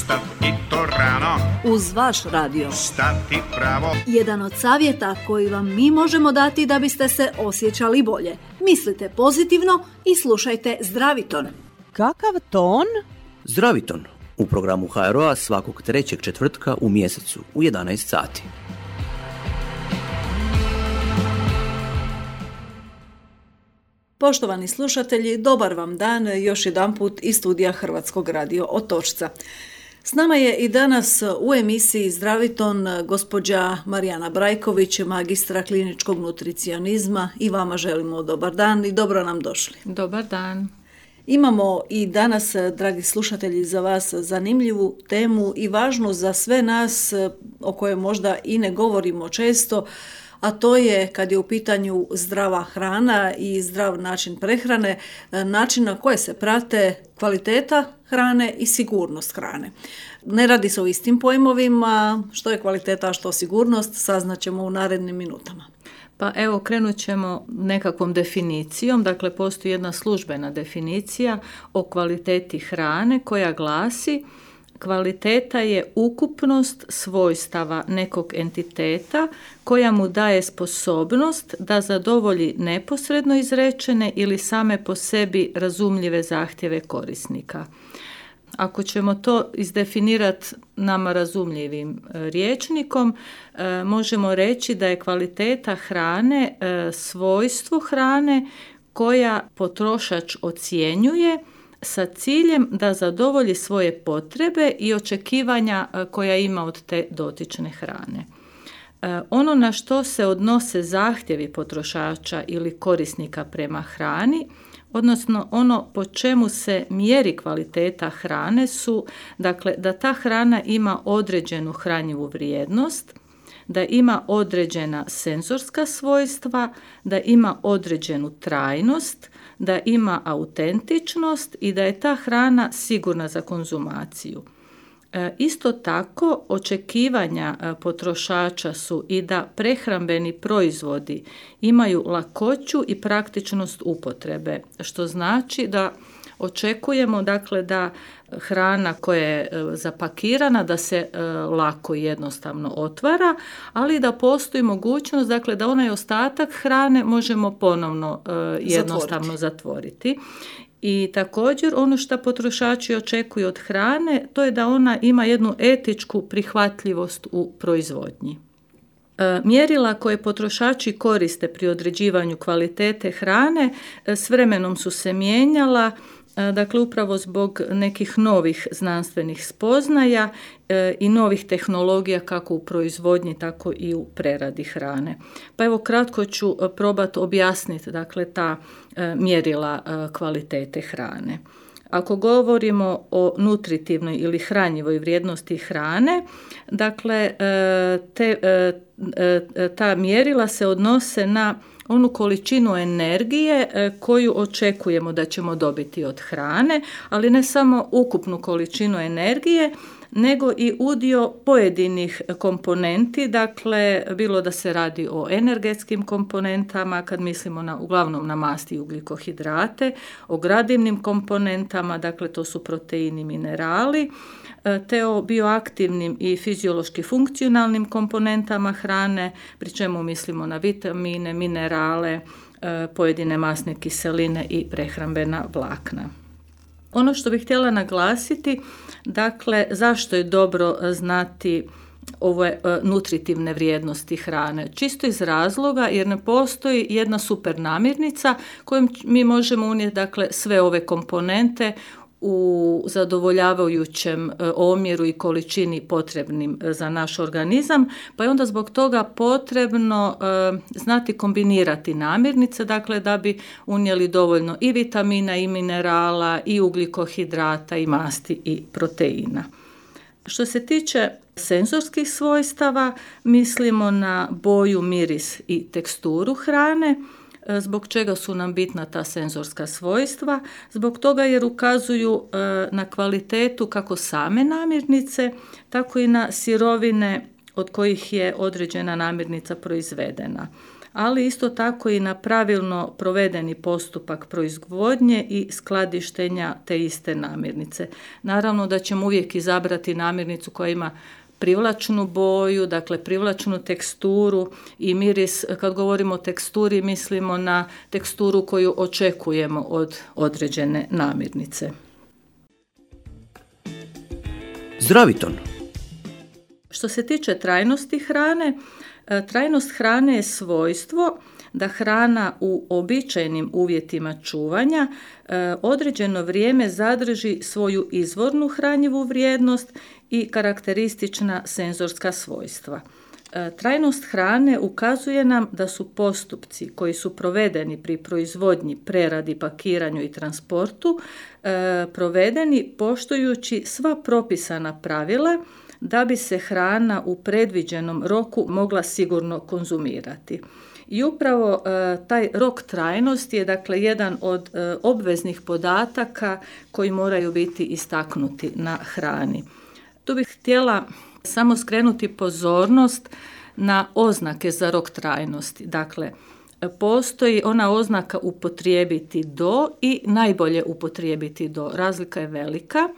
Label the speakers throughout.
Speaker 1: Ustati to rano,
Speaker 2: uz vaš radio.
Speaker 1: stati pravo.
Speaker 2: Jedan od savjeta koji vam mi možemo dati da biste se osjećali bolje. Mislite pozitivno i slušajte Zdraviton.
Speaker 3: Kakav ton?
Speaker 4: Zdraviton u programu HRO-a svakog trećeg četvrtka u mjesecu u 11 sati.
Speaker 2: Poštovani slušatelji, dobar vam dan još jedanput iz studija Hrvatskog radio Otočca. S nama je i danas u emisiji Zdraviton gospođa Marijana Brajković, magistra kliničkog nutricionizma, i vama želimo dobar dan i dobro nam došli.
Speaker 5: Dobar dan.
Speaker 2: Imamo i danas, dragi slušatelji, za vas zanimljivu temu i važnu za sve nas, o kojoj možda i ne govorimo često, a to je kad je u pitanju zdrava hrana i zdrav način prehrane, način na koje se prate kvaliteta hrane i sigurnost hrane. Ne radi se o istim pojmovima, što je kvaliteta, a što sigurnost, saznaćemo u narednim minutama.
Speaker 5: Pa evo, krenut ćemo nekakvom definicijom. Dakle, postoji jedna službena definicija o kvaliteti hrane koja glasi: kvaliteta je ukupnost svojstava nekog entiteta koja mu daje sposobnost da zadovolji neposredno izrečene ili same po sebi razumljive zahtjeve korisnika. Ako ćemo to izdefinirati nama razumljivim rječnikom, možemo reći da je kvaliteta hrane svojstvo hrane koja potrošač ocjenjuje sa ciljem da zadovolji svoje potrebe i očekivanja koja ima od te dotične hrane. Ono na što se odnose zahtjevi potrošača ili korisnika prema hrani, odnosno ono po čemu se mjeri kvaliteta hrane, su dakle da ta hrana ima određenu hranjivu vrijednost, da ima određena senzorska svojstva, da ima određenu trajnost, da ima autentičnost i da je ta hrana sigurna za konzumaciju. Isto tako, očekivanja potrošača su i da prehrambeni proizvodi imaju lakoću i praktičnost upotrebe, što znači da očekujemo dakle da hrana koja je zapakirana da se lako i jednostavno otvara, ali da postoji mogućnost dakle da onaj ostatak hrane možemo ponovno jednostavno zatvoriti. I također ono što potrošači očekuju od hrane, to je da ona ima jednu etičku prihvatljivost u proizvodnji. Mjerila koje potrošači koriste pri određivanju kvalitete hrane s vremenom su se mijenjala, dakle upravo zbog nekih novih znanstvenih spoznaja i novih tehnologija kako u proizvodnji tako i u preradi hrane. Pa evo kratko ću probati objasniti dakle ta mjerila kvalitete hrane. Ako govorimo o nutritivnoj ili hranjivoj vrijednosti hrane, dakle ta mjerila se odnose na onu količinu energije koju očekujemo da ćemo dobiti od hrane, ali ne samo ukupnu količinu energije, nego i udio pojedinih komponenti, dakle bilo da se radi o energetskim komponentama, kad mislimo uglavnom na masti i ugljikohidrate, o gradivnim komponentama, dakle to su proteini, minerali, te o bioaktivnim i fiziološki funkcionalnim komponentama hrane, pri čemu mislimo na vitamine, minerale, pojedine masne kiseline i prehrambena vlakna. Ono što bih htjela naglasiti, dakle, zašto je dobro znati ove nutritivne vrijednosti hrane? Čisto iz razloga jer ne postoji jedna super namirnica kojom mi možemo unijeti dakle, sve ove komponente u zadovoljavajućem omjeru i količini potrebnim za naš organizam, pa je onda zbog toga potrebno znati kombinirati namirnice, dakle da bi unijeli dovoljno i vitamina i minerala i ugljikohidrata i masti i proteina. Što se tiče senzorskih svojstava, mislimo na boju, miris i teksturu hrane. Zbog čega su nam bitna ta senzorska svojstva? Zbog toga jer ukazuju na kvalitetu kako same namirnice, tako i na sirovine od kojih je određena namirnica proizvedena. ali isto tako i na pravilno provedeni postupak proizvodnje i skladištenja te iste namirnice. Naravno da ćemo uvijek izabrati namirnicu koja ima privlačnu boju, dakle privlačnu teksturu i miris. Kad govorimo o teksturi, mislimo na teksturu koju očekujemo od određene namirnice.
Speaker 4: Zdraviton.
Speaker 5: Što se tiče trajnosti hrane, trajnost hrane je svojstvo da hrana u uobičajenim uvjetima čuvanja određeno vrijeme zadrži svoju izvornu hranjivu vrijednost i karakteristična senzorska svojstva. Trajnost hrane ukazuje nam da su postupci koji su provedeni pri proizvodnji, preradi, pakiranju i transportu provedeni poštujući sva propisana pravila da bi se hrana u predviđenom roku mogla sigurno konzumirati. I upravo taj rok trajnosti je dakle jedan od obveznih podataka koji moraju biti istaknuti na hrani. Tu bih htjela samo skrenuti pozornost na oznake za rok trajnosti. Dakle, postoji ona oznaka upotrijebiti do i najbolje upotrijebiti do. Razlika je velika.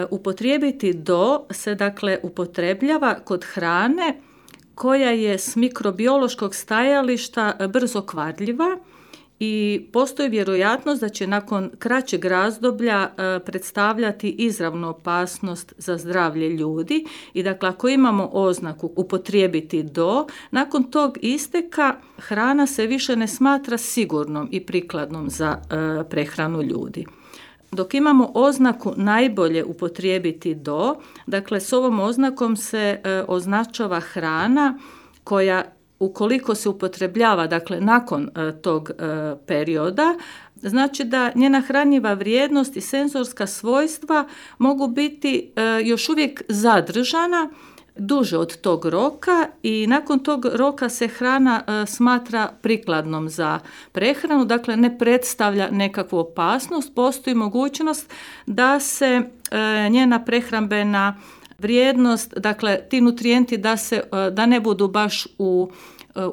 Speaker 5: Upotrijebiti do se dakle upotrebljava kod hrane koja je s mikrobiološkog stajališta brzo kvarljiva i postoji vjerojatnost da će nakon kraćeg razdoblja predstavljati izravnu opasnost za zdravlje ljudi i dakle ako imamo oznaku upotrijebiti do, nakon tog isteka hrana se više ne smatra sigurnom i prikladnom za prehranu ljudi. Dok imamo oznaku najbolje upotrijebiti do, dakle s ovom oznakom se označava hrana koja ukoliko se upotrebljava dakle nakon tog perioda, znači da njena hranjiva vrijednost i senzorska svojstva mogu biti još uvijek zadržana duže od tog roka i nakon tog roka se hrana smatra prikladnom za prehranu, dakle ne predstavlja nekakvu opasnost, postoji mogućnost da se njena prehrambena vrijednost, dakle ti nutrijenti da ne budu baš u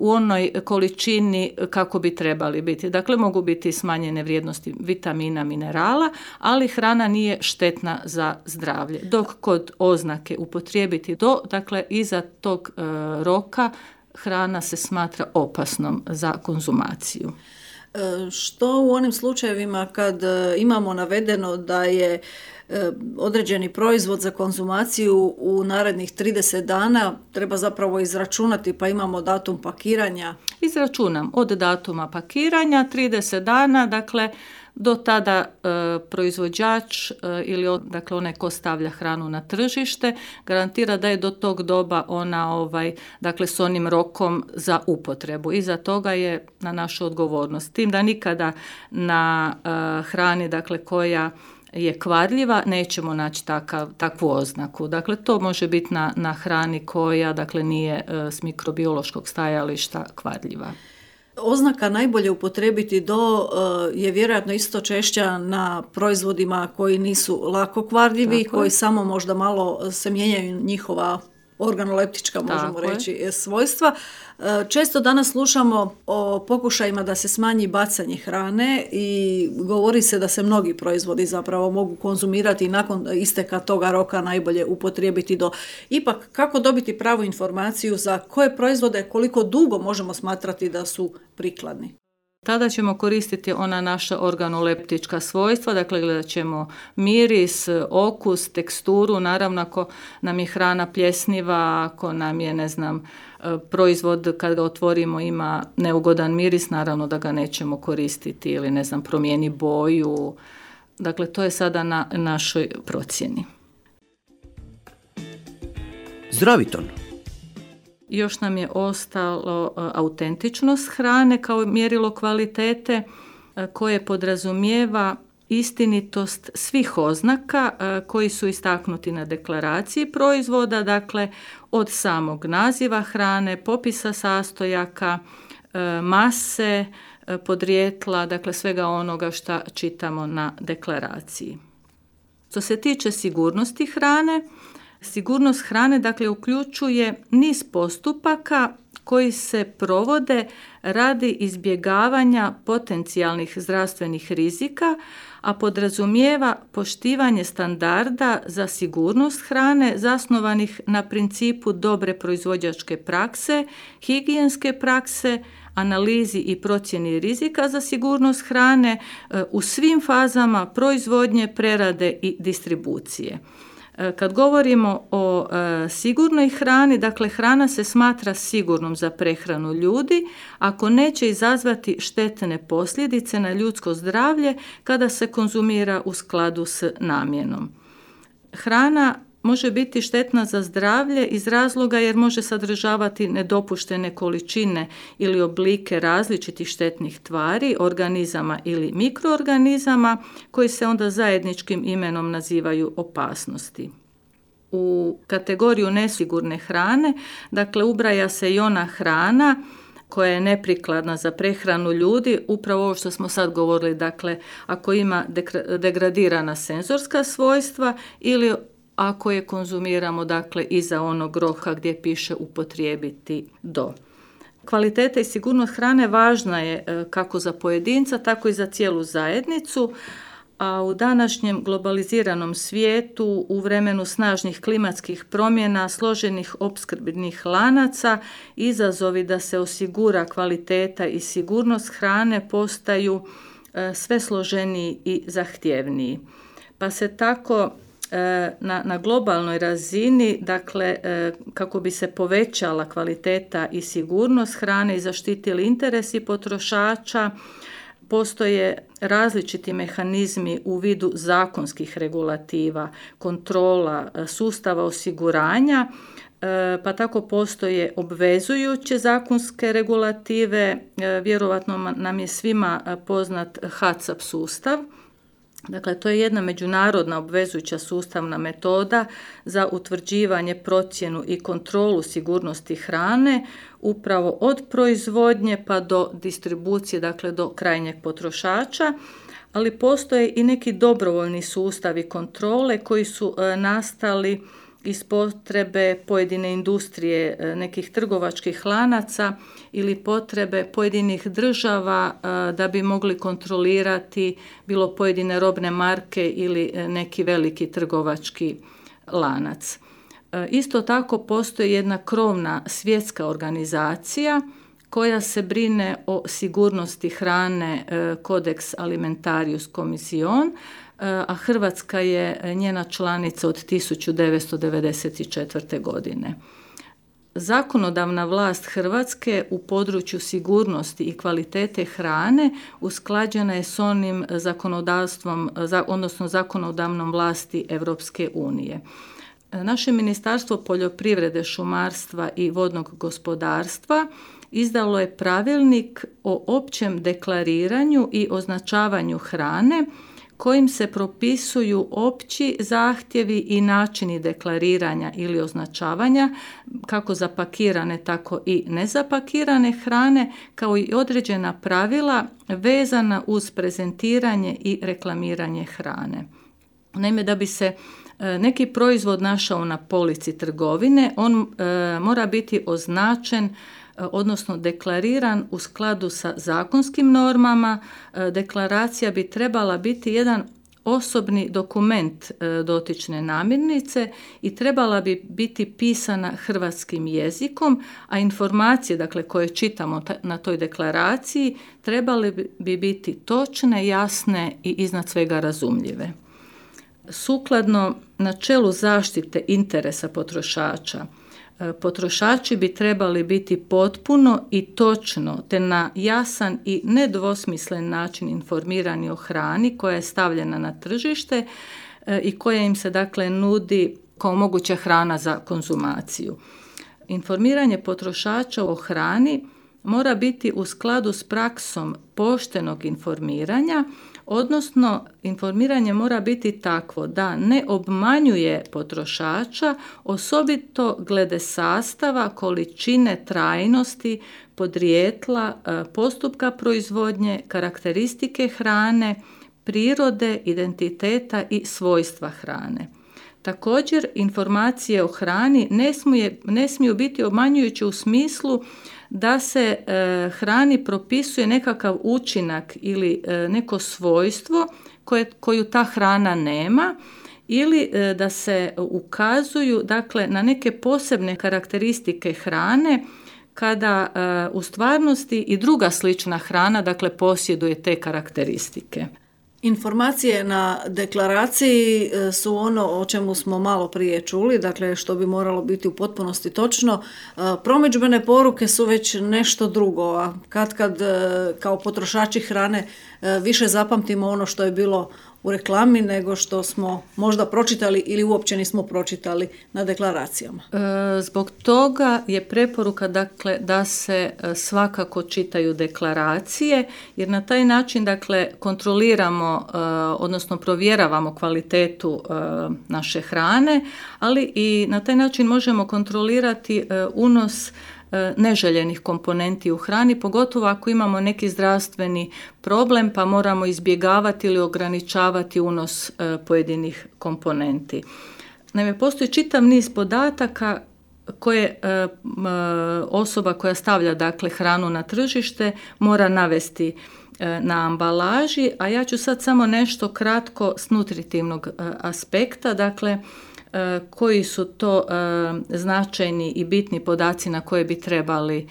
Speaker 5: onoj količini kako bi trebali biti. Dakle, mogu biti smanjene vrijednosti vitamina, minerala, ali hrana nije štetna za zdravlje. Dok kod oznake upotrijebiti do, dakle, iza tog roka hrana se smatra opasnom za konzumaciju.
Speaker 2: Što u onim slučajevima kad imamo navedeno da je određeni proizvod za konzumaciju u narednih 30 dana, treba zapravo izračunati pa imamo datum pakiranja?
Speaker 5: Izračunam od datuma pakiranja 30 dana, dakle do tada proizvođač ili dakle onaj ko stavlja hranu na tržište garantira da je do tog doba ona dakle s onim rokom za upotrebu. Iza toga je na našu odgovornost. Tim da nikada na hrani dakle koja je kvarljiva nećemo naći takvu oznaku. Dakle to može biti na hrani koja dakle nije s mikrobiološkog stajališta kvarljiva.
Speaker 2: Oznaka najbolje upotrijebiti do je vjerojatno isto češća na proizvodima koji nisu lako kvarljivi, koji samo možda malo se mijenjaju njihova organoleptička, možemo reći, svojstva. Često danas slušamo o pokušajima da se smanji bacanje hrane i govori se da se mnogi proizvodi zapravo mogu konzumirati i nakon isteka toga roka najbolje upotrijebiti do. Ipak, kako dobiti pravu informaciju za koje proizvode, koliko dugo možemo smatrati da su prikladni?
Speaker 5: Tada ćemo koristiti ona naša organoleptička svojstva, dakle gledat ćemo miris, okus, teksturu, naravno ako nam je hrana pljesniva, ako nam je, proizvod kad ga otvorimo ima neugodan miris, naravno da ga nećemo koristiti ili, promijeni boju. Dakle, to je sada na našoj procjeni.
Speaker 4: Zdraviton.
Speaker 5: Još nam je ostalo autentičnost hrane kao mjerilo kvalitete koje podrazumijeva istinitost svih oznaka koji su istaknuti na deklaraciji proizvoda, dakle od samog naziva hrane, popisa sastojaka, mase, podrijetla, dakle svega onoga što čitamo na deklaraciji. Što se tiče sigurnosti hrane, Sigurnost hrane dakle uključuje niz postupaka koji se provode radi izbjegavanja potencijalnih zdravstvenih rizika, a podrazumijeva poštivanje standarda za sigurnost hrane zasnovanih na principu dobre proizvođačke prakse, higijenske prakse, analizi i procjeni rizika za sigurnost hrane u svim fazama proizvodnje, prerade i distribucije. Kad govorimo o sigurnoj hrani, dakle hrana se smatra sigurnom za prehranu ljudi ako neće izazvati štetne posljedice na ljudsko zdravlje kada se konzumira u skladu s namjenom. Hrana može biti štetna za zdravlje iz razloga jer može sadržavati nedopuštene količine ili oblike različitih štetnih tvari, organizama ili mikroorganizama koji se onda zajedničkim imenom nazivaju opasnosti. U kategoriju nesigurne hrane, dakle ubraja se i ona hrana koja je neprikladna za prehranu ljudi, upravo ovo što smo sad govorili, dakle ako ima degradirana senzorska svojstva ili ako je konzumiramo dakle iza onog roka gdje piše upotrijebiti do. Kvaliteta i sigurnost hrane važna je kako za pojedinca, tako i za cijelu zajednicu, a u današnjem globaliziranom svijetu, u vremenu snažnih klimatskih promjena, složenih opskrbnih lanaca, izazovi da se osigura kvaliteta i sigurnost hrane postaju sve složeniji i zahtjevniji. Pa se tako na globalnoj razini, dakle, kako bi se povećala kvaliteta i sigurnost hrane i zaštitili interesi potrošača, postoje različiti mehanizmi u vidu zakonskih regulativa, kontrola, sustava osiguranja, pa tako postoje obvezujuće zakonske regulative, vjerovatno nam je svima poznat HACCP sustav. Dakle, to je jedna međunarodna obvezujuća sustavna metoda za utvrđivanje, procjenu i kontrolu sigurnosti hrane, upravo od proizvodnje pa do distribucije, dakle do krajnjeg potrošača, ali postoje i neki dobrovoljni sustavi kontrole koji su nastali iz potrebe pojedine industrije, nekih trgovačkih lanaca ili potrebe pojedinih država da bi mogli kontrolirati bilo pojedine robne marke ili neki veliki trgovački lanac. Isto tako postoji jedna krovna svjetska organizacija koja se brine o sigurnosti hrane, Codex Alimentarius Commission, a Hrvatska je njena članica od 1994. godine. Zakonodavna vlast Hrvatske u području sigurnosti i kvalitete hrane usklađena je s onim zakonodavstvom, odnosno zakonodavnom vlasti Europske unije. Naše Ministarstvo poljoprivrede, šumarstva i vodnog gospodarstva izdalo je pravilnik o općem deklariranju i označavanju hrane kojim se propisuju opći zahtjevi i načini deklariranja ili označavanja kako zapakirane, tako i nezapakirane hrane, kao i određena pravila vezana uz prezentiranje i reklamiranje hrane. Naime, da bi se neki proizvod našao na polici trgovine, on mora biti označen, odnosno deklariran u skladu sa zakonskim normama. Deklaracija bi trebala biti jedan osobni dokument dotične namirnice i trebala bi biti pisana hrvatskim jezikom, a informacije, dakle, koje čitamo na toj deklaraciji trebale bi biti točne, jasne i iznad svega razumljive. Sukladno načelu zaštite interesa potrošača, potrošači bi trebali biti potpuno i točno te na jasan i nedvosmislen način informirani o hrani koja je stavljena na tržište i koja im se dakle nudi kao moguća hrana za konzumaciju. Informiranje potrošača o hrani mora biti u skladu s praksom poštenog informiranja, odnosno informiranje mora biti takvo da ne obmanjuje potrošača, osobito glede sastava, količine, trajnosti, podrijetla, postupka proizvodnje, karakteristike hrane, prirode, identiteta i svojstva hrane. Također, informacije o hrani ne smiju biti obmanjujuće u smislu da se hrani propisuje nekakav učinak ili neko svojstvo koju ta hrana nema, ili da se ukazuju dakle, na neke posebne karakteristike hrane kada u stvarnosti i druga slična hrana dakle, posjeduje te karakteristike.
Speaker 2: Informacije na deklaraciji su ono o čemu smo malo prije čuli, dakle što bi moralo biti u potpunosti točno. Promidžbene poruke su već nešto drugo, a kad kao potrošači hrane više zapamtimo ono što je bilo u reklami nego što smo možda pročitali ili uopće nismo pročitali na deklaracijama.
Speaker 5: Zbog toga je preporuka dakle, da se svakako čitaju deklaracije, jer na taj način dakle, kontroliramo, odnosno provjeravamo kvalitetu naše hrane, ali i na taj način možemo kontrolirati unos neželjenih komponenti u hrani, pogotovo ako imamo neki zdravstveni problem pa moramo izbjegavati ili ograničavati unos pojedinih komponenti. Naime, postoji čitav niz podataka koje osoba koja stavlja dakle, hranu na tržište mora navesti na ambalaži, a ja ću sad samo nešto kratko s nutritivnog aspekta, dakle koji su to značajni i bitni podaci na koje bi trebali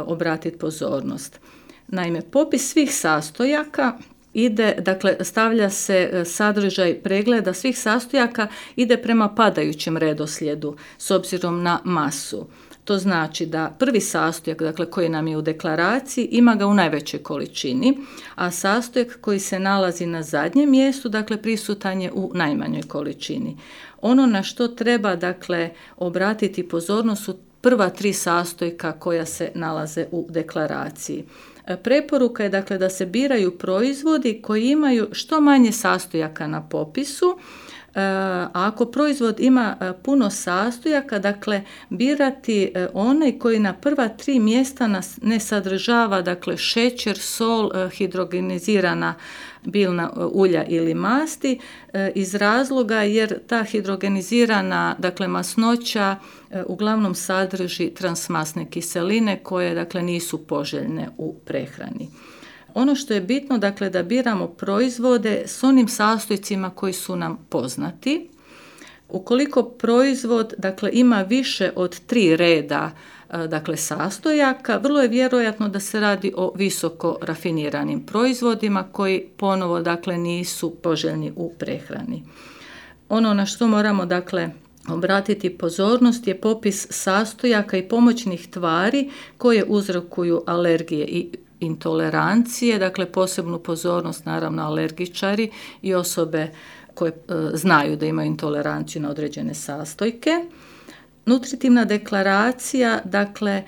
Speaker 5: obratiti pozornost. Naime, popis svih sastojaka ide, dakle stavlja se sadržaj pregleda svih sastojaka, ide prema padajućem redoslijedu s obzirom na masu. To znači da prvi sastojak, dakle koji nam je u deklaraciji, ima ga u najvećoj količini, a sastojak koji se nalazi na zadnjem mjestu, dakle prisutan je u najmanjoj količini. Ono na što treba dakle obratiti pozornost su prva 3 sastojka koja se nalaze u deklaraciji. Preporuka je dakle da se biraju proizvodi koji imaju što manje sastojaka na popisu, a ako proizvod ima puno sastojaka, dakle birati onaj koji na prva 3 mjesta ne sadržava dakle šećer, sol, hidrogenizirana biljna ulja ili masti, iz razloga jer ta hidrogenizirana dakle masnoća uglavnom sadrži transmasne kiseline koje dakle nisu poželjne u prehrani. Ono što je bitno, dakle, da biramo proizvode s onim sastojcima koji su nam poznati. Ukoliko proizvod, dakle, ima više od 3 reda, dakle, sastojaka, vrlo je vjerojatno da se radi o visoko rafiniranim proizvodima koji ponovo, dakle, nisu poželjni u prehrani. Ono na što moramo, dakle, obratiti pozornost je popis sastojaka i pomoćnih tvari koje uzrokuju alergije i intolerancije, dakle posebnu pozornost naravno alergičari i osobe koje znaju da imaju intoleranciju na određene sastojke. Nutritivna deklaracija, dakle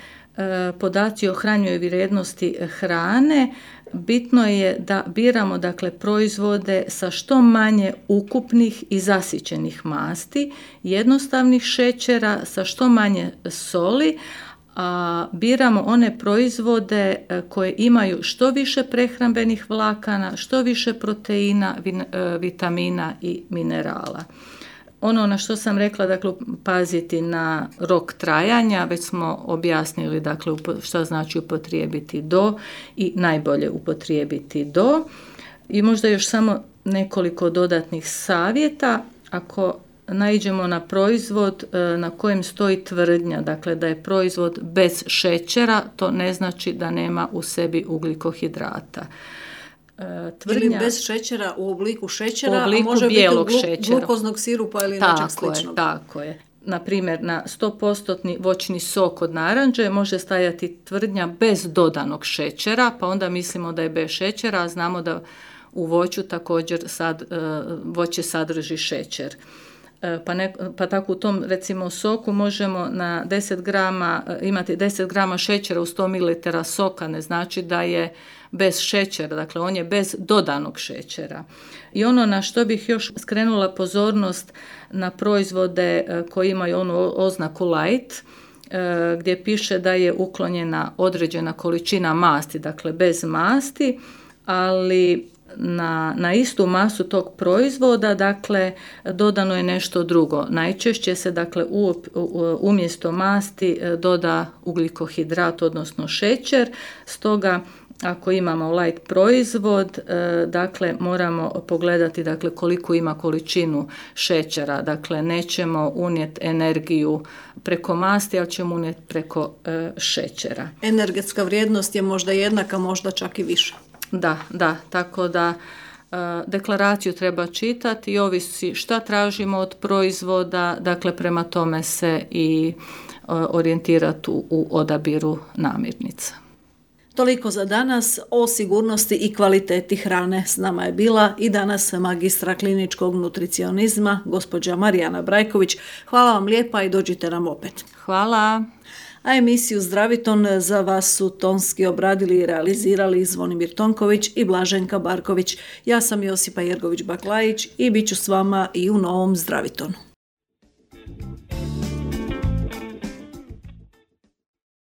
Speaker 5: podaci o hranjivoj vrijednosti hrane, bitno je da biramo dakle proizvode sa što manje ukupnih i zasićenih masti, jednostavnih šećera, sa što manje soli, a biramo one proizvode koje imaju što više prehrambenih vlakana, što više proteina, vitamina i minerala. Ono na što sam rekla, dakle, paziti na rok trajanja, već smo objasnili, dakle, što znači upotrijebiti do i najbolje upotrijebiti do. I možda još samo nekoliko dodatnih savjeta. Ako naiđemo na proizvod na kojem stoji tvrdnja, dakle da je proizvod bez šećera, to ne znači da nema u sebi ugljikohidrata.
Speaker 2: Tvrdnja, ili bez šećera u obliku šećera,
Speaker 5: u obliku
Speaker 2: a može
Speaker 5: bijelog
Speaker 2: biti glukoznog sirupa ili nečeg sličnog.
Speaker 5: Tako je. Na primjer, na 100% voćni sok od naranđe može stajati tvrdnja bez dodanog šećera, pa onda mislimo da je bez šećera, a znamo da u voću također voće sadrži šećer. Pa tako u tom recimo soku možemo na 10 grama imati 10 grama šećera u 100 ml soka, ne znači da je bez šećera, dakle on je bez dodanog šećera. I ono na što bih još skrenula pozornost na proizvode koji imaju onu oznaku light, gdje piše da je uklonjena određena količina masti, dakle bez masti, ali na istu masu tog proizvoda, dakle, dodano je nešto drugo. Najčešće se, dakle, umjesto masti doda ugljikohidrat, odnosno šećer, stoga ako imamo light proizvod, dakle, moramo pogledati, dakle, koliko ima količinu šećera. Dakle, nećemo unijeti energiju preko masti, ali ćemo unijeti preko šećera.
Speaker 2: Energetska vrijednost je možda jednaka, možda čak i više.
Speaker 5: Da, tako da deklaraciju treba čitati i ovisi šta tražimo od proizvoda, dakle, prema tome se i orijentirati u odabiru namirnica.
Speaker 2: Toliko za danas o sigurnosti i kvaliteti hrane. S nama je bila i danas magistra kliničkog nutricionizma, gospođa Marijana Brajković. Hvala vam lijepa i dođite nam opet.
Speaker 5: Hvala.
Speaker 2: A emisiju Zdraviton za vas su tonski obradili i realizirali Zvonimir Tonković i Blaženka Barković. Ja sam Josipa Jergović-Baklajić i bit ću s vama i u novom Zdravitonu.